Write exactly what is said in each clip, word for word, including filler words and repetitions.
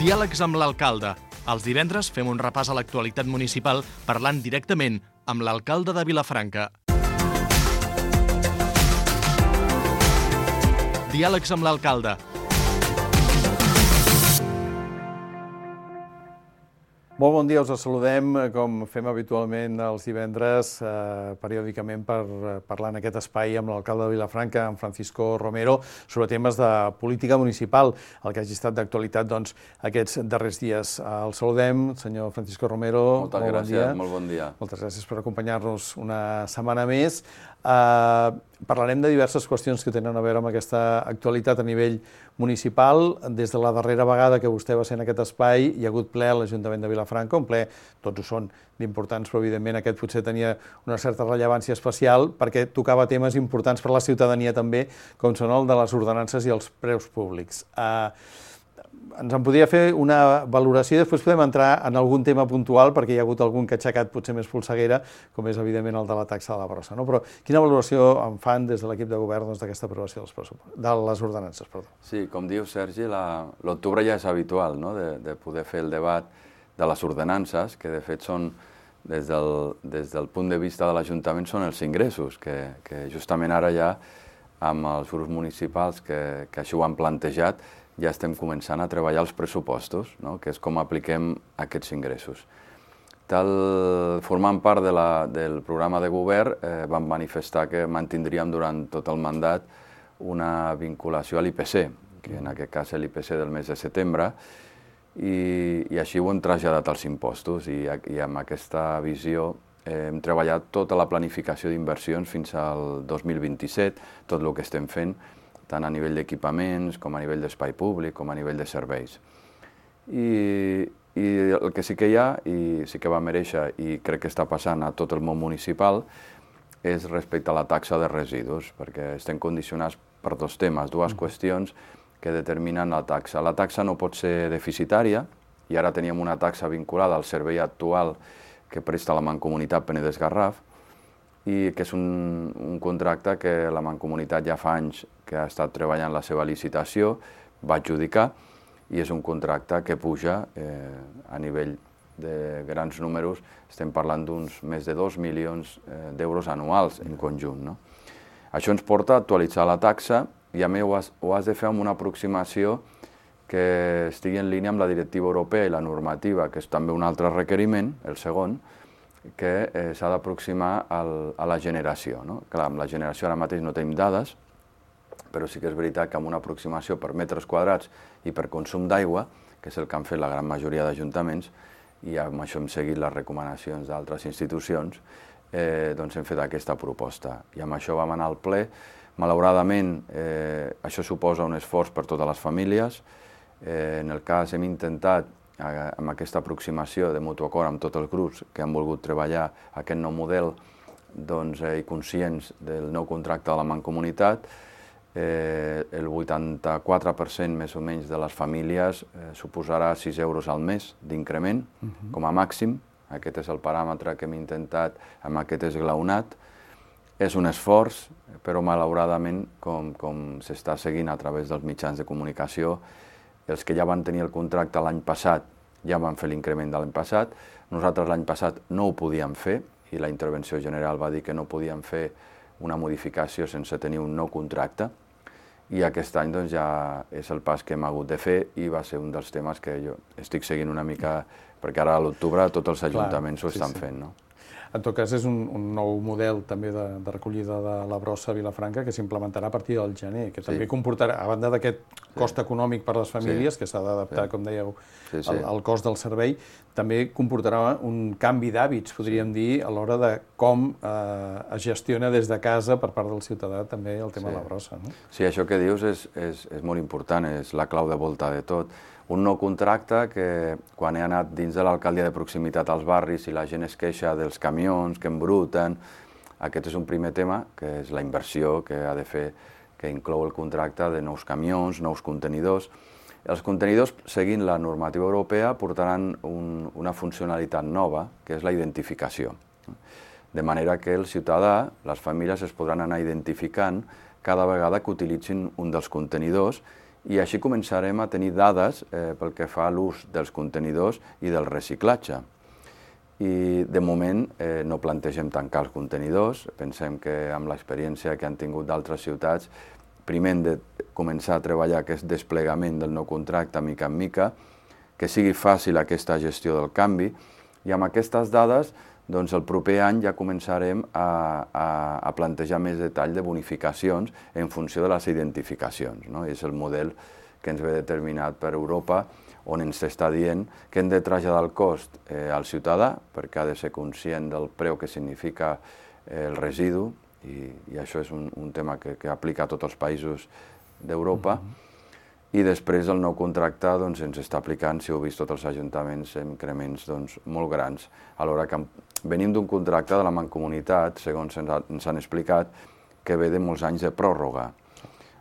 Diàlegs amb l'alcalde. Els divendres fem un repàs a l'actualitat municipal parlant directament amb l'alcalde de Vilafranca. Diàlegs amb l'alcalde. Molt bon dia, us saludem, com fem habitualment els divendres, eh, periòdicament per parlar en aquest espai amb l'alcalde de Vilafranca, en Francisco Romero, sobre temes de política municipal, el que hagi estat d'actualitat doncs, aquests darrers dies. El saludem, senyor Francisco Romero. Moltes molt gràcies, bon dia. molt bon dia. Moltes gràcies per acompanyar-nos una setmana més. Eh, parlarem de diverses qüestions que tenen a veure amb aquesta actualitat a nivell municipal. Des de la darrera vegada que vostè va ser en aquest espai, hi ha hagut ple a l'Ajuntament de Vilafranca, un ple, tots ho són, d'importants, però evidentment aquest potser tenia una certa rellevància especial perquè tocava temes importants per a la ciutadania també, com són el de les ordenances i els preus públics. Eh, ens en podria fer una valoració i després podem entrar en algun tema puntual perquè hi ha hagut algun que ha aixecat potser més polseguera, com és evidentment el de la taxa de la brossa. No? Però quina valoració en fan des de l'equip de govern doncs, d'aquesta aprovació dels de les ordenances? Perdó. Sí, com diu Sergi, l'octubre ja és habitual, no? de, de poder fer el debat de les ordenances, que de fet són, des del, des del punt de vista de l'Ajuntament, són els ingressos, que, que justament ara ja, amb els grups municipals que, que així ho han plantejat, ja estem començant a treballar els pressupostos, no? Que és com apliquem aquests ingressos. Tal, formant part de la, del programa de govern, eh, vam manifestar que mantindríem durant tot el mandat una vinculació a l'I P C, que en aquest cas és l'I P C del mes de setembre, i, i així ho hem traslladat als impostos, i, i amb aquesta visió eh, hem treballat tota la planificació d'inversions fins al dos mil vint-i-set, tot el que estem fent, tant a nivell d'equipaments, com a nivell d'espai públic, com a nivell de serveis. I, I el que sí que hi ha, i sí que va mereixer, i crec que està passant a tot el món municipal, és respecte a la taxa de residus, perquè estem condicionats per dos temes, dues qüestions que determinen la taxa. La taxa no pot ser deficitària, i ara teníem una taxa vinculada al servei actual que presta la Mancomunitat Penedès-Garraf, i que és un, un contracte que la Mancomunitat ja fa anys que ha estat treballant la seva licitació, va adjudicar, i és un contracte que puja eh, a nivell de grans números, estem parlant d'uns més de dos milions eh, d'euros anuals en conjunt. No? Això ens porta a actualitzar la taxa, i a més ho has, ho has de fer amb una aproximació que estigui en línia amb la directiva europea i la normativa, que és també un altre requeriment, el segon, que eh, s'ha d'aproximar a la generació. No? Clar, amb la generació ara mateix no tenim dades, però sí que és veritat que amb una aproximació per metres quadrats i per consum d'aigua, que és el que han fet la gran majoria d'ajuntaments, i amb això hem seguit les recomanacions d'altres institucions, eh, doncs hem fet aquesta proposta. I amb això vam anar al ple. Malauradament, eh, això suposa un esforç per totes les famílies. Eh, en el cas hem intentat amb aquesta aproximació de mutu acord amb tots els grups que han volgut treballar aquest nou model doncs, eh, i conscients del nou contracte de la Mancomunitat, eh, el vuitanta-quatre per cent més o menys de les famílies eh, suposarà sis euros al mes d'increment, uh-huh. com a màxim. Aquest és el paràmetre que hem intentat amb aquest esglaonat. És un esforç, però malauradament, com, com s'està seguint a través dels mitjans de comunicació, els que ja van tenir el contracte l'any passat ja van fer l'increment de l'any passat. Nosaltres l'any passat no ho podíem fer i la intervenció general va dir que no podíem fer una modificació sense tenir un nou contracte. I aquest any doncs, ja és el pas que hem hagut de fer i va ser un dels temes que jo estic seguint una mica, perquè ara a l'octubre tots els ajuntaments Clar, ho estan sí, sí. fent. No? En tot cas, és un, un nou model també de, de recollida de la brossa a Vilafranca que s'implementarà a partir del gener, que també sí. comportarà, a banda d'aquest cost sí. econòmic per a les famílies, sí. que s'ha d'adaptar, sí. com dèieu, sí, sí. Al, al cost del servei, també comportarà un canvi d'hàbits, podríem sí. dir, a l'hora de com eh, es gestiona des de casa per part del ciutadà també el tema sí. de la brossa. No? Sí, això que dius és, és, és molt important, és la clau de volta de tot. Un nou contracte que, quan he anat dins de l'alcaldia de proximitat als barris i la gent es queixa dels camions que embruten, aquest és un primer tema, que és la inversió que ha de fer, que inclou el contracte de nous camions, nous contenidors. Els contenidors, seguint la normativa europea, portaran un, una funcionalitat nova, que és la identificació. De manera que el ciutadà, les famílies, es podran anar identificant cada vegada que utilitzin un dels contenidors i així començarem a tenir dades eh, pel que fa a l'ús dels contenidors i del reciclatge. I de moment eh, no plantegem tancar els contenidors, pensem que amb l'experiència que han tingut d'altres ciutats, primer hem de començar a treballar aquest desplegament del nou contracte mica en mica, que sigui fàcil aquesta gestió del canvi, i amb aquestes dades doncs el proper any ja començarem a, a, a plantejar més detall de bonificacions en funció de les identificacions, no? És el model que ens ve determinat per Europa, on ens està dient que hem de traslladar el cost eh, al ciutadà, perquè ha de ser conscient del preu que significa eh, el residu, i, i això és un, un tema que, que aplica a tots els països d'Europa, mm-hmm. I després el nou contracte doncs, ens està aplicant, si heu vist tots els ajuntaments, increments doncs, molt grans, alhora que venim d'un contracte de la Mancomunitat, segons ens, ha, ens han explicat, que ve de molts anys de pròrroga.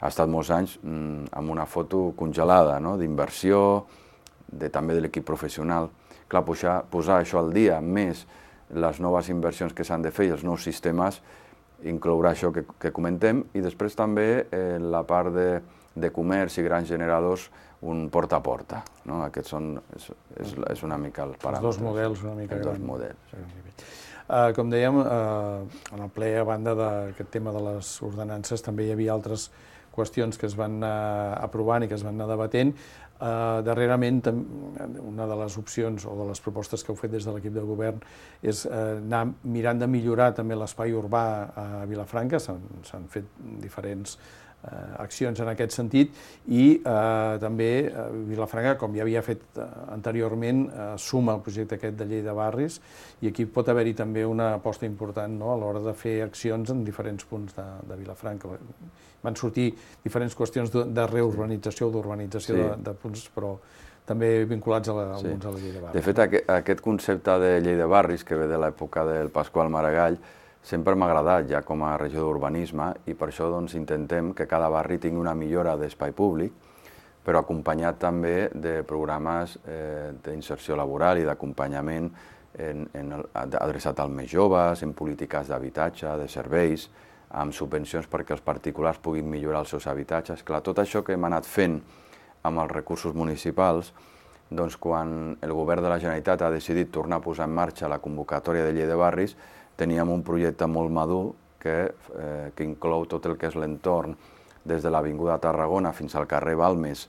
Ha estat molts anys mm, amb una foto congelada, no? D'inversió, de, també de l'equip professional. Clar, posar, posar això al dia, més les noves inversions que s'han de fer i els nous sistemes, inclourà això que, que comentem, i després també eh, la part de, de comerç i grans generadors, un porta a porta. No? Aquests són, és, és, és una mica el paràmetre. Els dos models una mica grans. Els dos models. Sí. Uh, com dèiem, uh, en el ple, a banda d'aquest tema de les ordenances, també hi havia altres qüestions que es van anar aprovant i que es van anar debatent. Uh, darrerament, una de les opcions o de les propostes que heu fet des de l'equip de govern és uh, anar mirant de millorar també l'espai urbà a Vilafranca. S'han fet diferents uh, accions en aquest sentit i uh, també uh, Vilafranca, com ja havia fet uh, anteriorment, uh, suma el projecte aquest de llei de barris i aquí pot haver-hi també una aposta important, no?, a l'hora de fer accions en diferents punts de, de Vilafranca. Van sortir diferents qüestions de, de reurbanització o d'urbanització, sí, de, de punts, però també vinculats a, la, a alguns sí. a la llei de barris. De fet, aquest, aquest concepte de llei de barris, que ve de l'època del Pasqual Maragall, sempre m'ha agradat ja com a regió d'urbanisme i per això doncs, intentem que cada barri tingui una millora d'espai públic, però acompanyat també de programes eh, d'inserció laboral i d'acompanyament en, en el, adreçat als més joves, en polítiques d'habitatge, de serveis, amb subvencions perquè els particulars puguin millorar els seus habitatges. Clar, tot això que hem anat fent amb els recursos municipals, doncs quan el govern de la Generalitat ha decidit tornar a posar en marxa la convocatòria de llei de barris, teníem un projecte molt madur que, eh, que inclou tot el que és l'entorn, des de l'Avinguda Tarragona fins al carrer Balmes,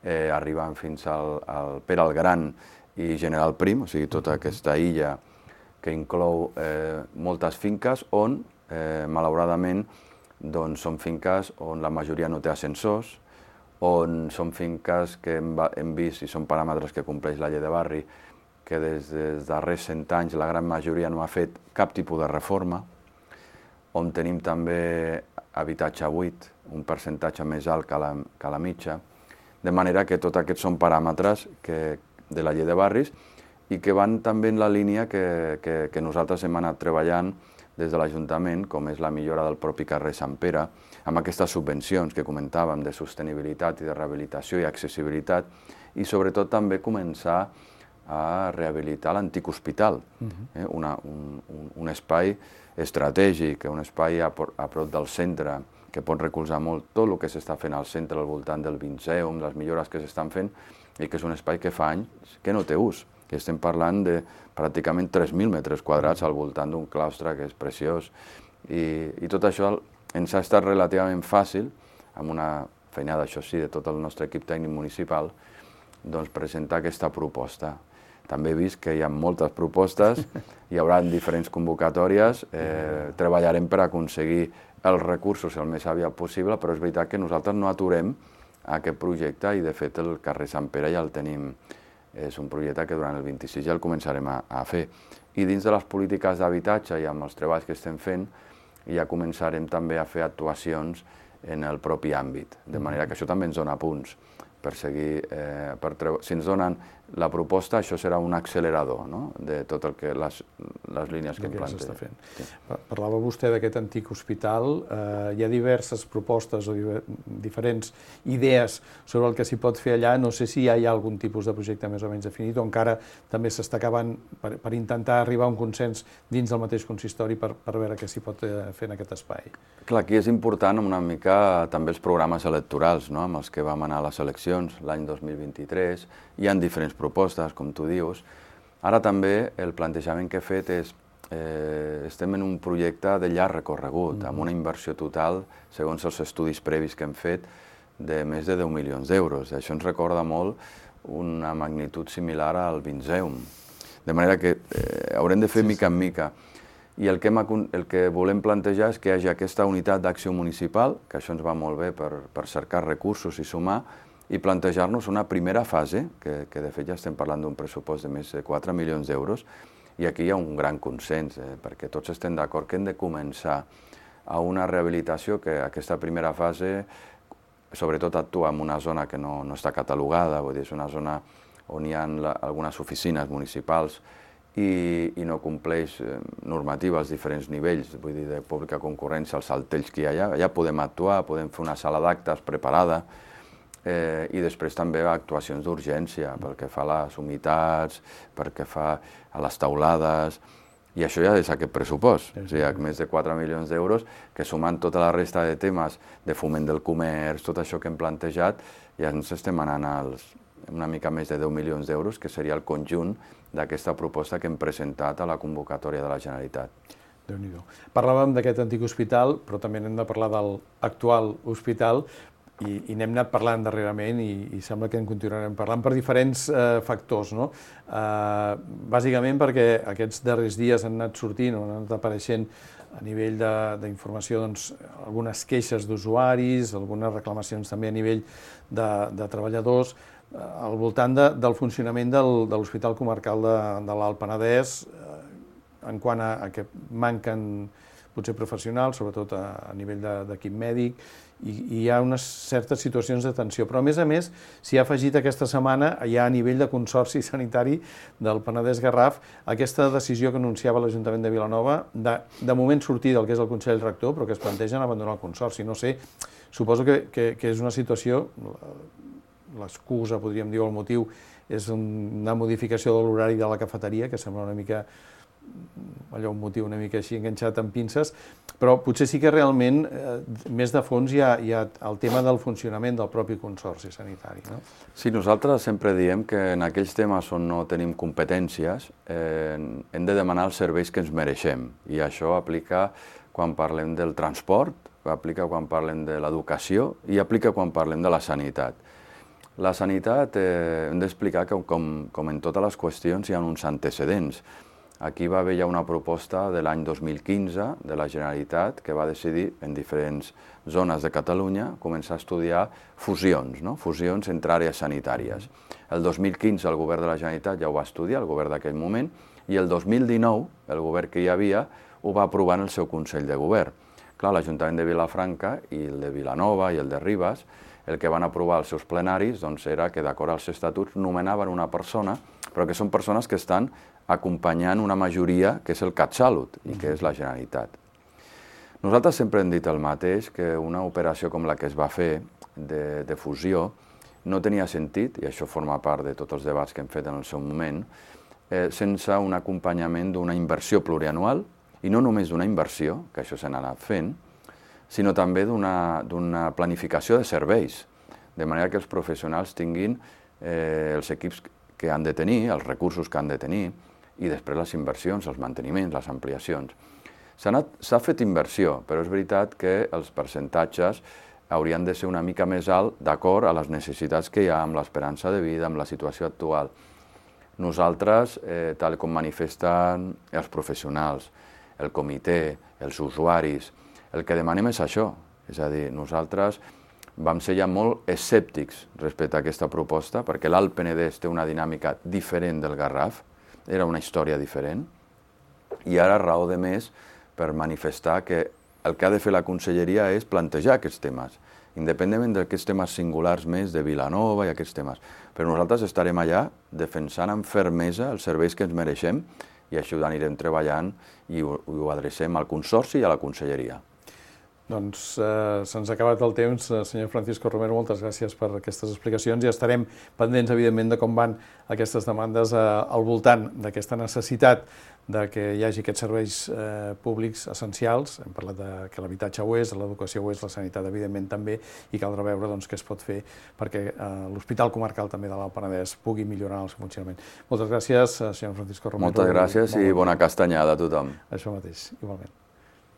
eh, arribant fins al, al Pere el Gran i General Prim, o sigui, tota aquesta illa que inclou eh, moltes finques on Eh, malauradament, doncs, són finques on la majoria no té ascensors, on són finques que hem, hem vist, i són paràmetres que compleix la llei de barri, que des dels darrers cent anys la gran majoria no ha fet cap tipus de reforma, on tenim també habitatge buit, un percentatge més alt que la, que la mitja, de manera que tots aquests són paràmetres que, de la llei de barris i que van també en la línia que, que, que nosaltres hem anat treballant des de l'Ajuntament, com és la millora del propi carrer Sant Pere, amb aquestes subvencions que comentàvem de sostenibilitat i de rehabilitació i accessibilitat, i sobretot també començar a rehabilitar l'antic hospital, uh-huh. eh? Una, un, un, un espai estratègic, un espai a, a prop del centre, que pot recolzar molt tot el que s'està fent al centre, al voltant del Vinceum, les millores que s'estan fent, i que és un espai que fa anys que no té ús, que estem parlant de pràcticament tres mil metres quadrats al voltant d'un claustre que és preciós. I, i tot això ens ha estat relativament fàcil, amb una feinada, això sí, de tot el nostre equip tècnic municipal, doncs presentar aquesta proposta. També he vist que hi ha moltes propostes, hi haurà diferents convocatòries, eh, treballarem per aconseguir els recursos el més aviat possible, però és veritat que nosaltres no aturem aquest projecte i, de fet, el carrer Sant Pere ja el tenim. És un projecte que durant el vint-i-sis ja el començarem a, a fer. I dins de les polítiques d'habitatge i amb els treballs que estem fent, ja començarem també a fer actuacions en el propi àmbit, de manera que això també ens dona punts. per seguir, eh, per treure... Si ens donen la proposta, això serà un accelerador, no?, de tot el que les, les línies que em planteja. Sí. Parlava vostè d'aquest antic hospital. Eh, hi ha diverses propostes o diver, diferents idees sobre el que s'hi pot fer allà. No sé si ja hi ha algun tipus de projecte més o menys definit o encara també s'està acabant per, per intentar arribar a un consens dins del mateix consistori per, per veure què s'hi pot fer en aquest espai. Clar, aquí és important una mica també els programes electorals, no?, amb els que vam anar a les eleccions l'any dos mil vint-i-tres. Hi ha diferents propostes, com tu dius. Ara també el plantejament que he fet és eh, estem en un projecte de llarg recorregut, amb una inversió total, segons els estudis previs que hem fet, de més de deu milions d'euros. Això ens recorda molt una magnitud similar al Vinceum. De manera que eh, haurem de fer sí, mica en mica. I el que, hem, el que volem plantejar és que hi hagi aquesta unitat d'acció municipal, que això ens va molt bé per, per cercar recursos i sumar, i plantejar-nos una primera fase, que, que de fet ja estem parlant d'un pressupost de més de quatre milions d'euros, i aquí hi ha un gran consens, eh, perquè tots estem d'acord que hem de començar a una rehabilitació que aquesta primera fase, sobretot actua en una zona que no, no està catalogada, vull dir, és una zona on hi ha la, algunes oficines municipals i, i no compleix eh, normativa als diferents nivells, vull dir, de pública concurrència, els saltells que hi ha allà. Allà podem actuar, podem fer una sala d'actes preparada, Eh, i després també actuacions d'urgència, pel que fa a les humitats, pel que fa a les taulades, i això ja és aquest pressupost, o sigui, més de quatre milions d'euros, que sumant tota la resta de temes de foment del comerç, tot això que hem plantejat, ja ens estem anant als una mica més de deu milions d'euros, que seria el conjunt d'aquesta proposta que hem presentat a la convocatòria de la Generalitat. Déu-n'hi-do. Parlàvem d'aquest antic hospital, però també n'hem de parlar de l'actual hospital, I, i n'hem anat parlant darrerament i, i sembla que en continuarem parlant per diferents eh, factors, no? Eh, bàsicament perquè aquests darrers dies han anat sortint o han anat apareixent a nivell d'informació doncs, algunes queixes d'usuaris, algunes reclamacions també a nivell de, de treballadors, eh, al voltant de, del funcionament del, de l'Hospital Comarcal de, de l'Alt Penedès, eh, en quant a, a que manquen potser professionals, sobretot a, a nivell d'equip mèdic, i, i hi ha unes certes situacions de tensió. Però, a més a més, s'hi ha afegit aquesta setmana, ja a nivell de Consorci Sanitari del Penedès-Garraf, aquesta decisió que anunciava l'Ajuntament de Vilanova, de, de moment sortir del que és el Consell Rector, però que es plantegen abandonar el Consorci. No sé, suposo que, que, que és una situació, l'excusa, podríem dir, o el motiu, és una modificació de l'horari de la cafeteria, que sembla una mica allò un motiu una mica així enganxat amb pinces, però potser sí que realment eh, més de fons hi ha, hi ha el tema del funcionament del propi Consorci Sanitari, no? Sí, nosaltres sempre diem que en aquells temes on no tenim competències eh, hem de demanar els serveis que ens mereixem, i això aplica quan parlem del transport, aplica quan parlem de l'educació i aplica quan parlem de la sanitat. La sanitat eh, hem d'explicar que com, com en totes les qüestions hi ha uns antecedents. Aquí va haver ja una proposta de l'any dos mil quinze de la Generalitat que va decidir en diferents zones de Catalunya començar a estudiar fusions, no? Fusions entre àrees sanitàries. El dos mil quinze el govern de la Generalitat ja ho va estudiar, el govern d'aquell moment, i el dos mil dinou el govern que hi havia ho va aprovar en el seu Consell de Govern. Clar, l'Ajuntament de Vilafranca i el de Vilanova i el de Ribes, el que van aprovar els seus plenaris doncs, era que d'acord als estatuts nomenaven una persona, però que són persones que estan acompanyant una majoria que és el CatSalut i que és la Generalitat. Nosaltres sempre hem dit el mateix, que una operació com la que es va fer de, de fusió no tenia sentit, i això forma part de tots els debats que hem fet en el seu moment, eh, sense un acompanyament d'una inversió plurianual, i no només d'una inversió, que això s'ha anat fent, sinó també d'una planificació de serveis, de manera que els professionals tinguin eh, els equips que han de tenir, els recursos que han de tenir, i després les inversions, els manteniments, les ampliacions. S'ha fet inversió, però és veritat que els percentatges haurien de ser una mica més alt d'acord a les necessitats que hi ha amb l'esperança de vida, amb la situació actual. Nosaltres, eh, tal com manifesten els professionals, el comitè, els usuaris, el que demanem és això, és a dir, nosaltres vam ser ja molt escèptics respecte a aquesta proposta, perquè l'Alt Penedès té una dinàmica diferent del Garraf, era una història diferent, i ara raó de més per manifestar que el que ha de fer la Conselleria és plantejar aquests temes independentment d'aquests temes singulars més de Vilanova i aquests temes. Però nosaltres estarem allà defensant amb fermesa els serveis que ens mereixem i així ho anirem treballant i ho, ho adrecem al Consorci i a la Conselleria. Doncs eh, se'ns ha acabat el temps. Senyor Francisco Romero, moltes gràcies per aquestes explicacions i estarem pendents, evidentment, de com van aquestes demandes eh, al voltant d'aquesta necessitat de que hi hagi aquests serveis eh, públics essencials. Hem parlat de que l'habitatge ho és, l'educació ho és, la sanitat, evidentment, també, i caldrà veure doncs, què es pot fer perquè eh, l'Hospital Comarcal també de l'Alt Penedès pugui millorar el seu funcionament. Moltes gràcies, senyor Francisco Romero. Moltes gràcies i bona castanyada a tothom. Això mateix, igualment.